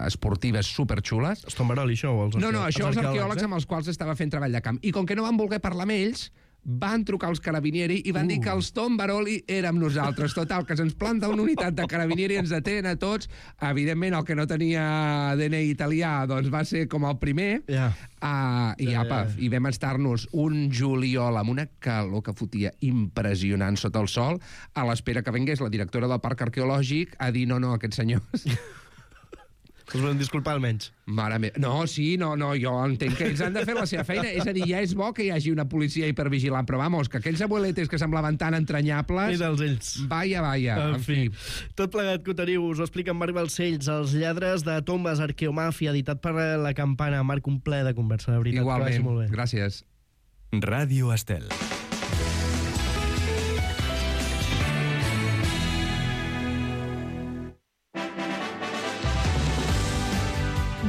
D: esportives superxules.
B: És tombaroli, això?
D: No, això els arqueòlegs amb els quals estava fent treball de camp. I com que no van voler parlar amb ells, van trucar els carabinieri i van dir que els tombaroli érem nosaltres. Total, que se'ns planta una unitat de carabinieri, ens detenen a tots. Evidentment, el que no tenia DNI italià doncs va ser com el primer. I vam estar-nos un juliol amb una calor que fotia impressionant sota el sol, a l'espera que vengués la directora del parc arqueològic a dir no, aquests senyors...
B: Us volem disculpar almenys.
D: Mare meva. No, jo entenc que ells han de fer la seva feina. És a dir, ja és bo que hi hagi una policia hipervigilant, però vamos, que aquells abueletes que semblaven tan entranyables...
B: I dels ells.
D: Vaya. En fi.
B: Tot plegat que ho teniu, us ho explica en Marc Balcells, Els lladres de tombes, Arqueomàfia, editat per La Campana. Marc, un ple de conversa, de veritat.
D: Igualment,
B: molt bé.
D: Gràcies.
C: Ràdio Estel.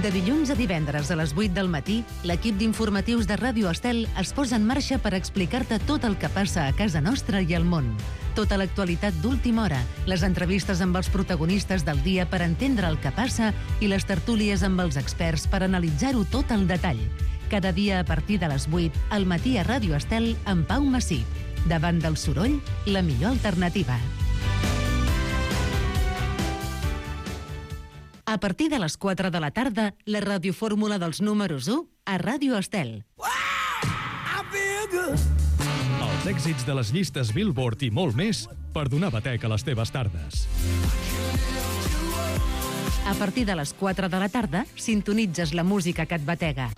A: De dilluns a divendres a les 8 del matí, l'equip d'informatius de Ràdio Estel es posa en marxa per explicar-te tot el que passa a casa nostra i al món. Tota l'actualitat d'última hora, les entrevistes amb els protagonistes del dia per entendre el que passa i les tertúlies amb els experts per analitzar-ho tot al detall. Cada dia a partir de les 8, al matí a Ràdio Estel amb Pau Massip. Davant del soroll, la millor alternativa. A partir de les 4 de la tarda, la radiofórmula dels números 1 a Ràdio Estel.
C: Els èxits de les llistes Billboard i molt més per donar batec a les teves tardes.
A: A partir de les 4 de la tarda, sintonitzes la música que et batega.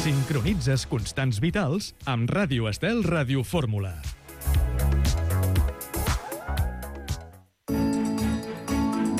C: Sincronitzes constants vitals amb Ràdio Estel Radiofórmula.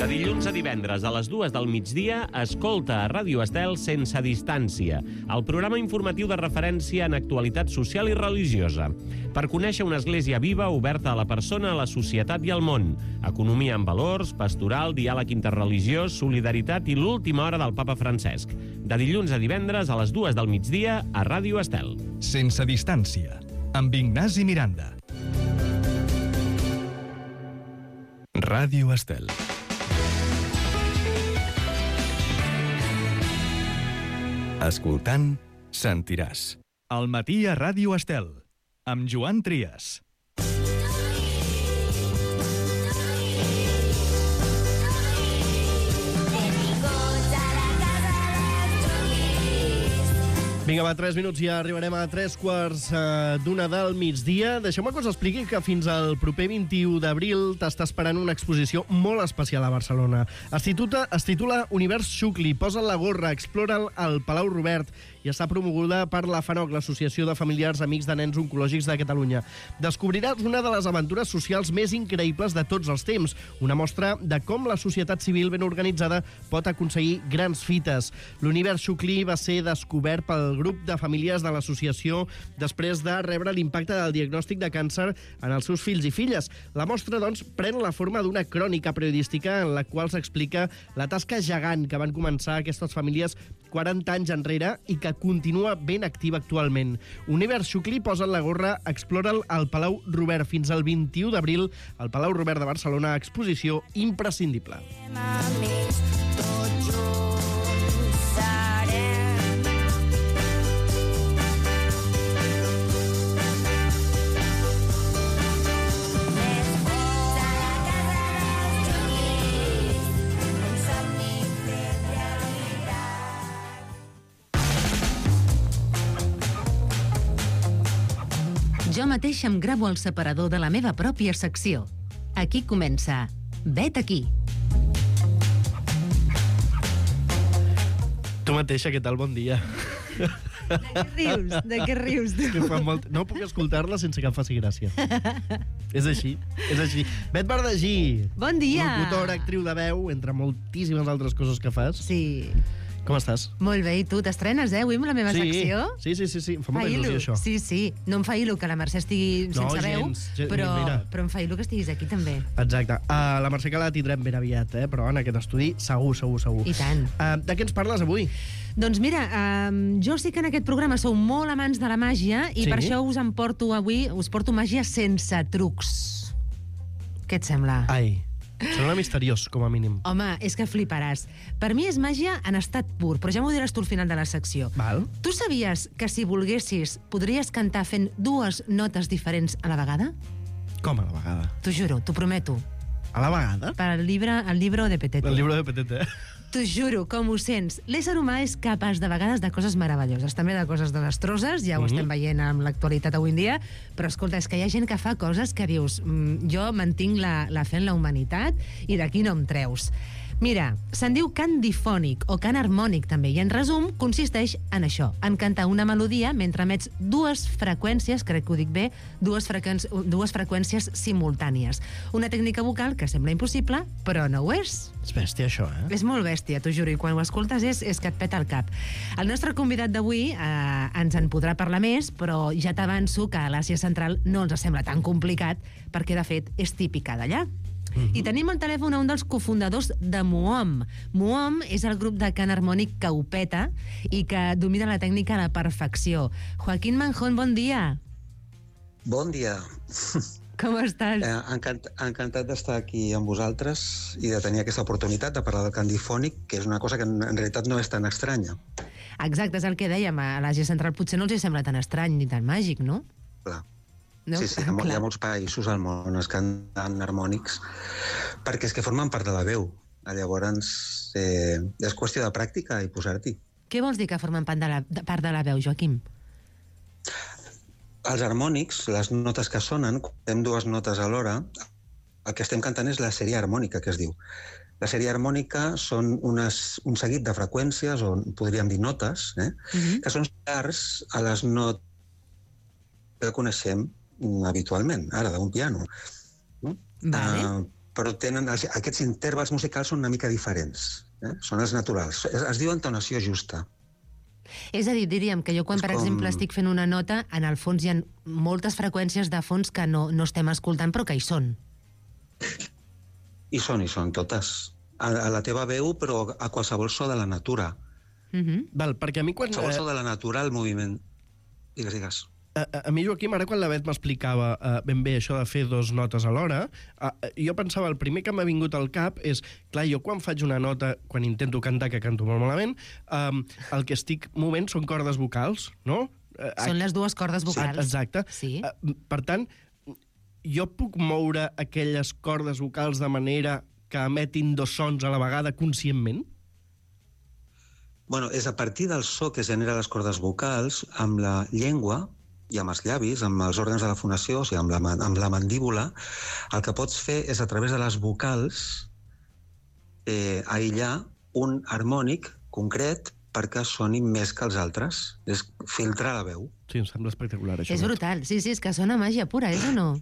E: De dilluns a divendres a les 2 del migdia, escolta a Ràdio Estel Sense Distància, el programa informatiu de referència en actualitat social i religiosa, per conèixer una església viva oberta a la persona, a la societat i al món, economia amb valors, pastoral, diàleg interreligiós, solidaritat i l'última hora del papa Francesc. De dilluns a divendres a les 2 del migdia a Ràdio Estel.
C: Sense Distància, amb Ignasi Miranda. Ràdio Estel. Escoltant, sentiràs. Al matí a Ràdio Estel, amb Joan Trias.
B: Vinga, va, 3 minuts i ja arribarem a 3:15 del migdia. Deixeu-me que us expliqui que fins al proper 21 d'abril t'està esperant una exposició molt especial a Barcelona. Es titula Univers Xucli, posa't la gorra, explora'l al Palau Robert i està promoguda per la FANOC, l'Associació de Familiars Amics de Nens Oncològics de Catalunya. Descobriràs una de les aventures socials més increïbles de tots els temps, una mostra de com la societat civil ben organitzada pot aconseguir grans fites. L'Univers Xucli va ser descobert pel grup de famílies de l'associació després de rebre l'impacte del diagnòstic de càncer en els seus fills i filles. La mostra, doncs, pren la forma d'una crònica periodística en la qual s'explica la tasca gegant que van començar aquestes famílies 40 anys enrere i que continua ben activa actualment. Univers Xucli, posa't la gorra, explora'l al Palau Robert fins al 21 d'abril, al Palau Robert de Barcelona, exposició imprescindible.
A: Jo mateix em gravo el separador de la meva pròpia secció. Aquí comença Vet aquí.
B: Tu mateixa, què tal? Bon dia.
A: De què rius, tu?
B: Que fa molt... No puc escoltar-la sense que em faci gràcia. És així. Bet Verdagí.
A: Bon dia.
B: Locutora, actriu de veu, entre moltíssimes altres coses que fas.
A: Sí.
B: Com estàs?
A: Molt bé, i tu? T'estrenes, avui amb la meva secció?
B: Sí. Em fa molta il·lusió, això.
A: Sí. No em fa il·lu que la Mercè estigui sense veu, però em fa il·lu que estiguis aquí, també.
B: Exacte. La Mercè que la tindrem ben aviat, però en aquest estudi segur.
A: I tant.
B: De què ens parles avui?
A: Doncs mira, jo sé que en aquest programa sou molt amants de la màgia i per això us porto màgia sense trucs. Què et sembla?
B: Ai, sembla misteriós, com a mínim.
A: Home, és que fliparàs. Per mi és màgia en estat pur, però ja m'ho diràs tu al final de la secció.
B: Val.
A: Tu sabies que si volguessis podries cantar fent 2 notes diferents a la vegada?
B: Com a la vegada?
A: T'ho juro, t'ho prometo.
B: A la vegada?
A: Per al libro de Petete.
B: El llibre de Petete.
A: T'ho juro, com ho sents. L'ésser humà és capaç de vegades de coses meravelloses, també de coses desastroses, ja ho estem veient amb l'actualitat avui en dia, però escolta, és que hi ha gent que fa coses que dius jo mantinc la fe en la humanitat i d'aquí no em treus. Mira, se'n diu cant difònic o cant harmònic també, i en resum consisteix en això, en cantar una melodia mentre emets 2 freqüències, crec que ho dic bé, 2 freqüències simultànies. Una tècnica vocal que sembla impossible, però no ho és.
B: És bèstia, això,
A: És molt bèstia, t'ho juro, i quan ho escoltes és que et peta el cap. El nostre convidat d'avui ens en podrà parlar més, però ja t'avanço que a l'Àsia Central no ens sembla tan complicat, perquè de fet és típica d'allà. I tenim al telèfon un dels cofundadors de Muom. Muom és el grup de cant harmònic que ho peta i que domina la tècnica a la perfecció. Joaquín Manjón, bon dia.
F: Bon dia.
A: Com estàs?
F: Encantat d'estar aquí amb vosaltres i de tenir aquesta oportunitat de parlar del cant difònic, que és una cosa que en realitat no és tan estranya.
A: Exacte, és el que dèiem. A l'Àsia Central potser no els sembla tan estrany ni tan màgic, no?
F: Clar.
A: No?
F: Sí, hi ha molts països al món que canten harmònics perquè és que formen part de la veu. Llavors, és qüestió de pràctica i posar-t'hi.
A: Què vols dir que formen part de la veu, Joaquim?
F: Els harmònics, les notes que sonen, quan fem 2 notes alhora, el que estem cantant és la sèrie harmònica, que es diu. La sèrie harmònica són un seguit de freqüències, o podríem dir notes, que són similars a les notes que coneixem habitualment, ara, d'un piano. No?
A: Vale.
F: Però aquests intervals musicals són una mica diferents. Són els naturals. Es diu entonació justa.
A: És a dir, diríem que jo quan, per exemple, estic fent una nota, en el fons hi ha moltes freqüències de fons que no estem escoltant, però que hi són.
F: Hi són totes. A la teva veu, però a qualsevol so de la natura.
B: Val, perquè a mi quan...
F: Qualsevol so de la natura, el moviment. Digues.
B: A mi, Joaquim, ara quan la Bet m'explicava ben bé això de fer 2 notes alhora, jo pensava, el primer que m'ha vingut al cap és, clar, jo quan faig una nota, quan intento cantar, que canto molt malament, el que estic movent són cordes vocals, no?
A: Són les 2 cordes vocals.
B: Exacte.
A: Sí.
B: Per tant, jo puc moure aquelles cordes vocals de manera que emetin 2 sons a la vegada conscientment?
F: Bueno, és a partir del so que genera les cordes vocals amb la llengua i amb els llavis, amb els òrgans de la fonació, o sigui, amb la mandíbula, el que pots fer és, a través de les vocals, aïllar un harmònic concret perquè soni més que els altres. És filtrar la veu.
B: Sí, em sembla espectacular, això.
G: És brutal. Sí, és que sona màgia pura, és o no?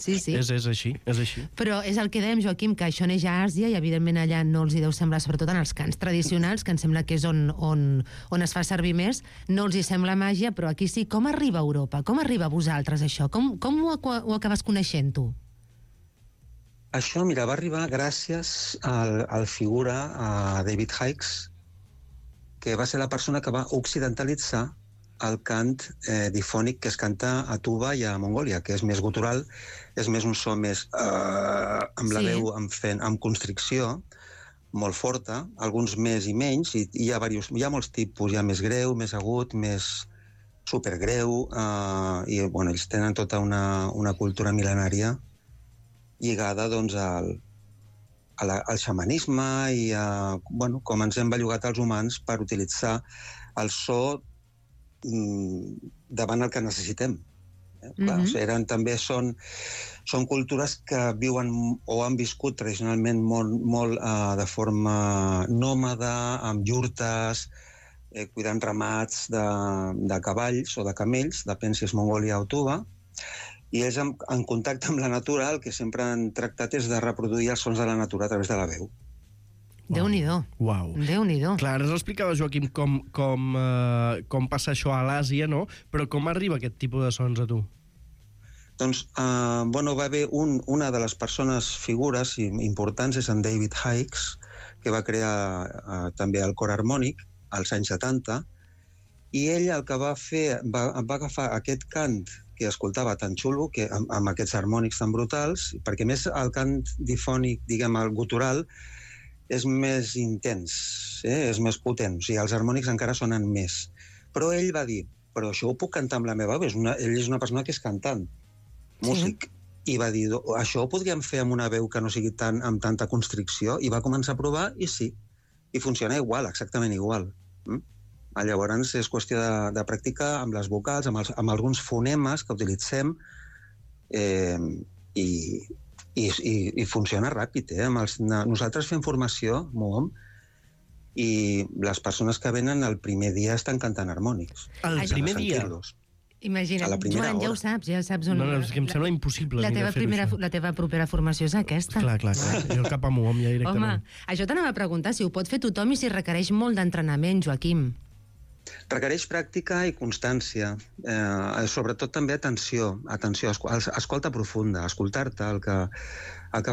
G: Sí.
B: És així.
G: Però és el que dèiem, Joaquim, que això neix a Àsia i evidentment allà no els hi deu semblar, sobretot en els cants tradicionals, que em sembla que és on es fa servir més, no els hi sembla màgia, però aquí sí. Com arriba a Europa? Com arriba a vosaltres, això? Com ho acabes coneixent, tu?
F: Això, mira, va arribar gràcies al figura David Hicks, que va ser la persona que va occidentalitzar el cant difònic que es canta a Tuva i a Mongòlia, que és més gutural, és més un so més amb la veu amb constricció, molt forta, alguns més i menys, i hi ha molts tipus, hi ha més greu, més agut, més supergreu, i bueno, ells tenen tota una cultura mil·lenària lligada doncs, al xamanisme i a com ens hem bellugat els humans per utilitzar el so davant el que necessitem. Clar, també són cultures que viuen o han viscut tradicionalment molt de forma nòmada, amb iurtes, cuidant ramats de cavalls o de camells, depèn si és Mongòlia o Tuva, i ells en contacte amb la natura el que sempre han tractat és de reproduir els sons de la natura a través de la veu.
G: Déu-n'hi-do.
B: Uau.
G: Déu-n'hi-do.
B: Clar, ara ens explicava, Joaquim, com passa això a l'Àsia, no? Però com arriba aquest tipus de sons a tu?
F: Doncs, va haver una de les figures importants, és en David Hicks, que va crear també el cor harmònic als anys 70, i ell el que va fer, va agafar aquest cant que escoltava tan xulo, amb aquests harmònics tan brutals, perquè més el cant difònic, diguem, el gutural, és més intens, és més potent, o sigui, els harmònics encara sonen més. Però ell va dir, però això ho puc cantar amb la meva veu, ell és una persona que és cantant, músic, i va dir, això ho podríem fer amb una veu que no sigui amb tanta constricció, i va començar a provar, i sí, i funciona igual, exactament igual. Llavors és qüestió de practicar amb les vocals, amb alguns fonemes que utilitzem, i funciona ràpid. Nosaltres fem formació, MUOM, i les persones que venen el primer dia estan cantant harmònics.
B: El primer dia?
G: Imagina't, Joan, ja ho saps, on...
B: No, és que em sembla impossible.
G: La teva propera formació és aquesta.
B: Clar. Jo cap a MUOM ja directament.
G: Home, això t'anava a preguntar, si ho pot fer tothom i si requereix molt d'entrenament, Joaquim.
F: Requereix pràctica i constància, sobretot també atenció, escolta profunda, escoltar-te el que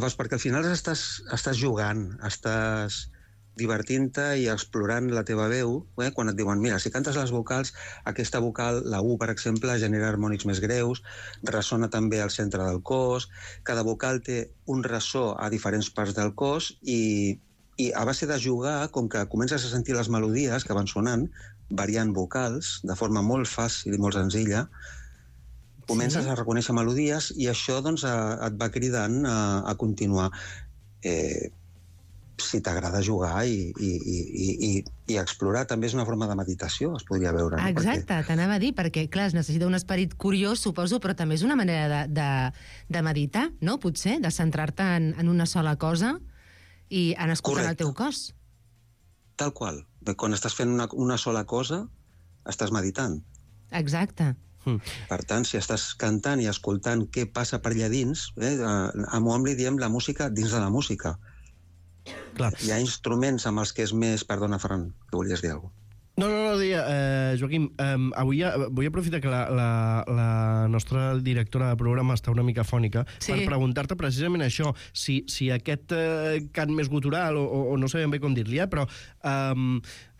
F: fas, perquè al final estàs jugant, estàs divertint-te i explorant la teva veu, quan et diuen, mira, si cantes les vocals, aquesta vocal, la U, per exemple, genera harmònics més greus, ressona també al centre del cos, cada vocal té un ressò a diferents parts del cos i a base de jugar, com que comences a sentir les melodies que van sonant, variant vocals, de forma molt fàcil i molt senzilla, comences a reconèixer melodies i això doncs, et va cridant a continuar. Si t'agrada jugar i explorar, també és una forma de meditació, es podria veure.
G: Exacte, t'anava a dir, perquè, clar, es necessita un esperit curiós, suposo, però també és una manera de meditar, no? Potser, de centrar-te en una sola cosa i en escoltar el teu cos.
F: Tal qual. Quan estàs fent una sola cosa, estàs meditant.
G: Exacte.
F: Per tant, si estàs cantant i escoltant què passa per allà dins, a MUOM li diem la música dins de la música.
B: Clar.
F: Hi ha instruments amb els que és més... Perdona, Ferran, que volies dir alguna cosa.
B: No, Joaquim, avui vull aprofitar que la nostra directora de programa està una mica fònica per preguntar-te precisament això, si aquest cant més gutural, o no sé ben bé com dir-li, però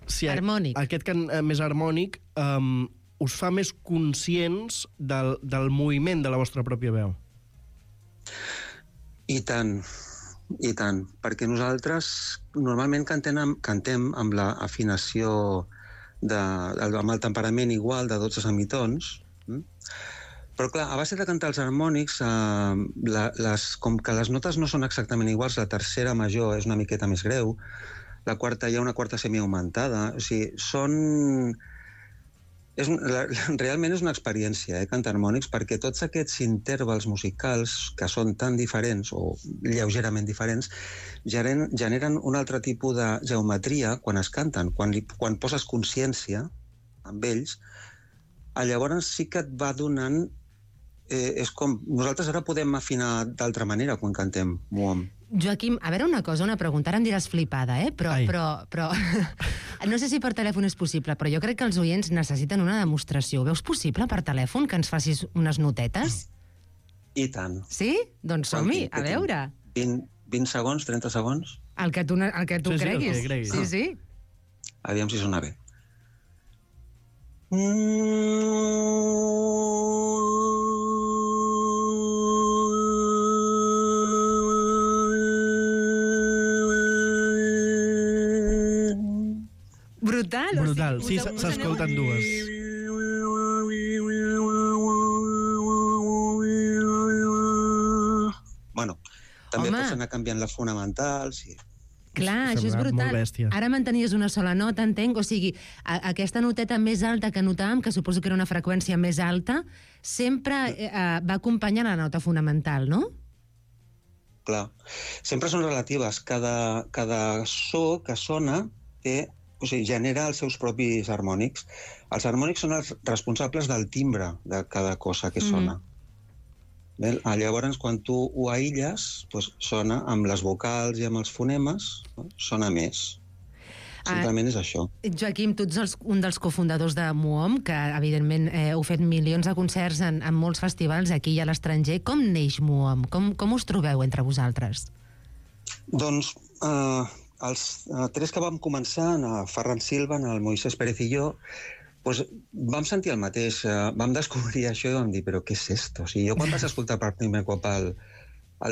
B: si aquest cant més harmònic us fa més conscients del moviment de la vostra pròpia veu.
F: I tant, perquè nosaltres normalment cantem amb l'afinació amb el temperament igual de 12 semitons, però clar, a base de cantar els harmònics, com que les notes no són exactament iguals, la tercera major és una miqueta més greu, hi ha una quarta semiaugmentada. O sigui, realment és una experiència, cantar harmònics, perquè tots aquests intervals musicals, que són tan diferents, o lleugerament diferents, generen un altre tipus de geometria quan es canten. Quan poses consciència amb ells, llavors sí que et va donant... és com... Nosaltres ara podem afinar d'altra manera quan cantem Muom.
G: Joaquim, a veure una cosa, una pregunta, ara em diràs flipada, però no sé si per telèfon és possible, però jo crec que els oients necessiten una demostració. Ho veus possible per telèfon que ens facis unes notetes?
F: I tant.
G: Sí? Doncs som-hi, a veure.
F: 20 segons, 30 segons?
G: El que tu creguis.
B: el que creguis.
G: Sí.
F: Aviam si sona bé.
G: Brutal.
B: Sí, s'escolten dues.
F: Bueno, també pots anar canviant la fonamental, sí.
G: Clar, això és
B: Sembla
G: brutal.
B: molt bèstia.
G: Ara mantenies una sola nota, entenc? O sigui, aquesta noteta més alta que notàvem, que suposo que era una freqüència més alta, sempre va acompanyar la nota fonamental, no?
F: Clar. Sempre són relatives. Cada so que sona genera els seus propis harmònics. Els harmònics són els responsables del timbre de cada cosa que sona. Llavors, quan tu ho aïlles, sona amb les vocals i amb els fonemes, sona més. Simplement és això.
G: Joaquim, tu ets un dels cofundadors de Muom, que evidentment heu fet milions de concerts en molts festivals aquí i a l'estranger. Com neix Muom? Com us trobeu entre vosaltres?
F: Doncs els tres que vam començar, en Ferran Silva, el Moisés Pérez i jo, vam sentir el mateix, vam descobrir això i vam dir, però què és esto? O sigui, jo quan vaig escoltar per primer cop el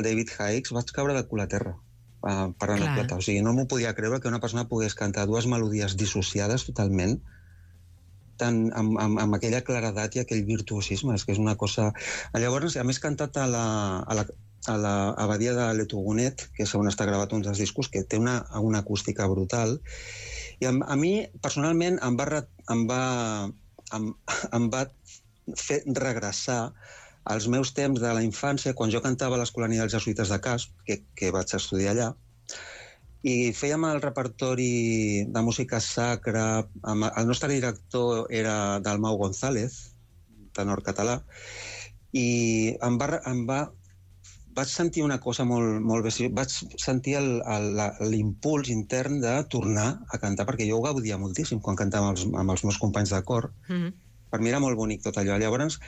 F: David Hicks vaig caure de cul a terra per l'anecdota. O sigui, no m'ho podia creure que una persona pogués cantar dues melodies dissociades totalment, amb aquella claredat i aquell virtuosisme. És que és una cosa... Llavors, a més, cantat a l'abadia de Letogonet, que és on està gravat un dels discos, que té una acústica brutal. I a mi, personalment, em va fer regressar als meus temps de la infància, quan jo cantava a l'Escolania dels Jesuïtes de Casp, que vaig estudiar allà, i fèiem el repertori de música sacra. El nostre director era Dalmau González, tenor català, i vaig sentir una cosa molt bé. Vaig sentir l'impuls intern de tornar a cantar, perquè jo ho gaudia moltíssim quan cantava amb els meus companys de cor. Per mi era molt bonic tot allò. Llavors,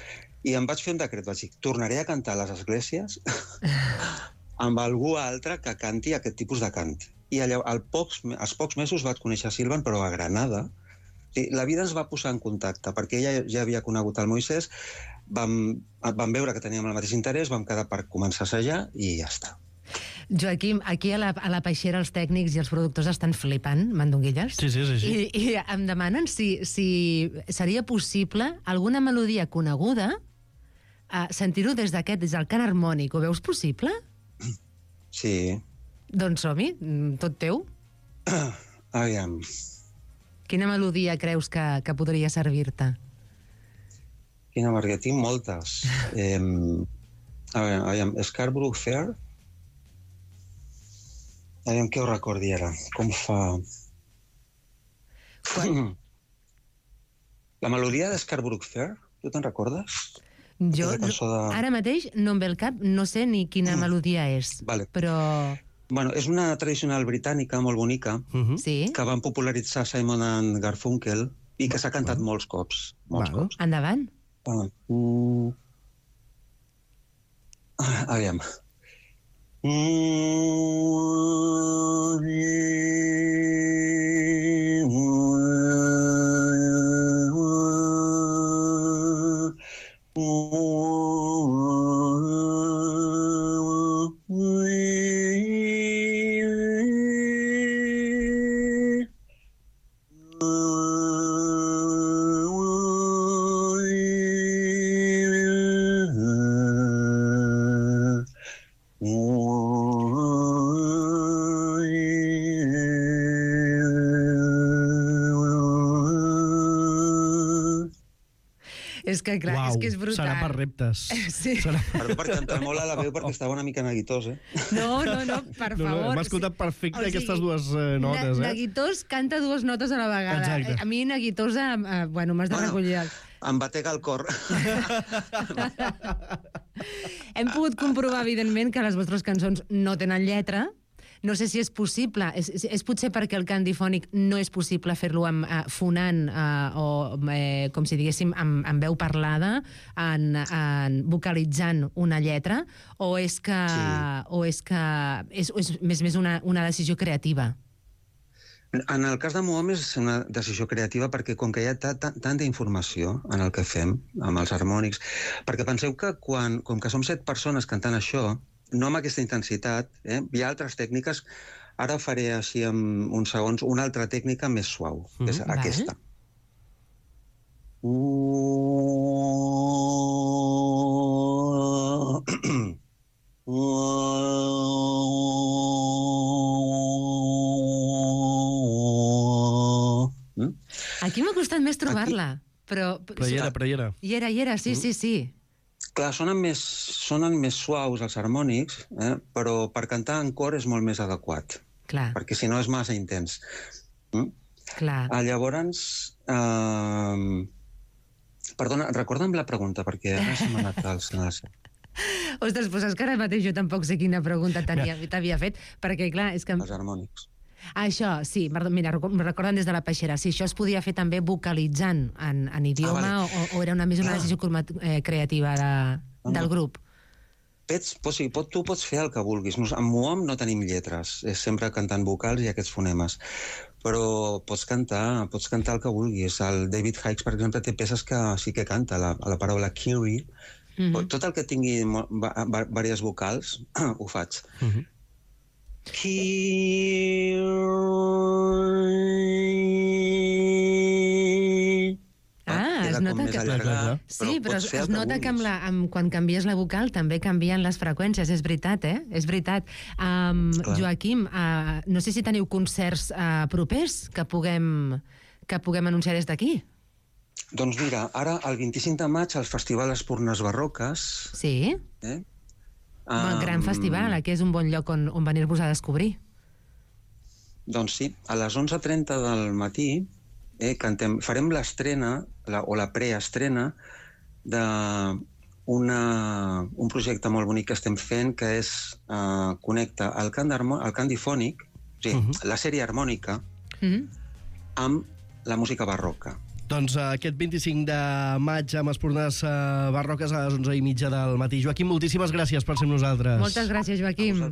F: i em vaig fer un decret, vaig dir, tornaré a cantar a les esglésies amb algú altre que canti aquest tipus de cant. I als pocs mesos vaig conèixer Silvan, però a Granada. La vida ens va posar en contacte, perquè ella ja havia conegut el Moisés, vam veure que teníem el mateix interès, vam quedar per començar a assajar i ja està.
G: Joaquim, aquí a la Peixera els tècnics i els productors estan flipant, mandonguilles.
B: Sí, és així.
G: I em demanen si seria possible alguna melodia coneguda sentir-ho des del cant harmònic. Ho veus possible?
F: Sí.
G: Doncs som-hi, tot teu.
F: Aviam.
G: Quina melodia creus que podria servir-te?
F: Quina melodia? Tinc moltes. Aviam, Scarborough Fair. Aviam què ho recordi ara. Com fa... La melodia de Scarborough Fair, tu te'n recordes?
G: Jo, ara mateix, no em ve el cap, no sé ni quina melodia és, però...
F: Bueno, és una tradicional britànica molt bonica, que van popularitzar Simon and Garfunkel i que s'ha cantat molts cops.
G: Endavant.
F: Aviam.
G: És que, clar,
B: Uau,
G: és que és brutal.
B: serà per reptes.
G: Sí.
F: Perdó per cantar molt a la veu perquè estava una mica neguitós,
G: No, per favor.
B: M'ha escoltat perfecte aquestes dues notes,
G: Neguitós canta dues notes a la vegada.
B: Exacte.
G: A mi, neguitosa, bueno, m'has de recollir.
F: Em batega el cor.
G: Hem pogut comprovar, evidentment, que les vostres cançons no tenen lletra. No sé si és possible, és potser perquè el cant difònic no és possible fer-lo fonant o, com si diguéssim, amb veu parlada, vocalitzant una lletra, o és que, és més una decisió creativa?
F: En el cas de Muom és una decisió creativa perquè com que hi ha tanta informació en el que fem, amb els harmònics, perquè penseu que com que som 7 persones cantant això, no amb aquesta intensitat, hi ha altres tècniques. Ara faré així en uns segons una altra tècnica més suau, que és aquesta.
G: Aquí m'ha costat més trobar-la, però...
B: Però hi era.
G: Hi era, sí.
F: Clar, sonen més suaus els harmònics, però per cantar en cor és molt més adequat.
G: Clar.
F: Perquè si no és massa intens.
G: Clar.
F: Llavors... Perdona, recorda'm la pregunta, perquè ara se m'ha anat al senat.
G: Ostres, doncs és que ara mateix jo tampoc sé quina pregunta t'havia fet, perquè, clar, és que...
F: Els harmònics.
G: Això, sí, mira, me recorden des de la Peixera, sí, això es podia fer també vocalitzant en idioma, o era més una decisió creativa del grup?
F: Tu pots fer el que vulguis. En Muom no tenim lletres, és sempre cantant vocals i aquests fonemes, però pots cantar el que vulguis. El David Hikes, per exemple, té peces que sí que canta, la paraula Kiri. Tot el que tingui diverses vocals, ho faig.
G: Es nota que... Sí, però es nota que quan canvies la vocal també canvien les freqüències, és veritat, És veritat. Joaquim, no sé si teniu concerts propers que puguem anunciar des d'aquí.
F: Doncs mira, ara el 25 de maig al Festival Espurnes Barroques...
G: Sí? Un gran festival, que és un bon lloc on venir-vos a descobrir. Doncs sí, a les 11:30 del matí farem l'estrena, o la preestrena, d'un projecte molt bonic que estem fent, que és connecta el cant difònic, o sigui, la sèrie harmònica, amb la música barroca.
B: Doncs aquest 25 de maig amb Espurnes Barroques a les 11:30 del matí. Joaquim, moltíssimes gràcies per ser amb nosaltres.
G: Moltes gràcies, Joaquim.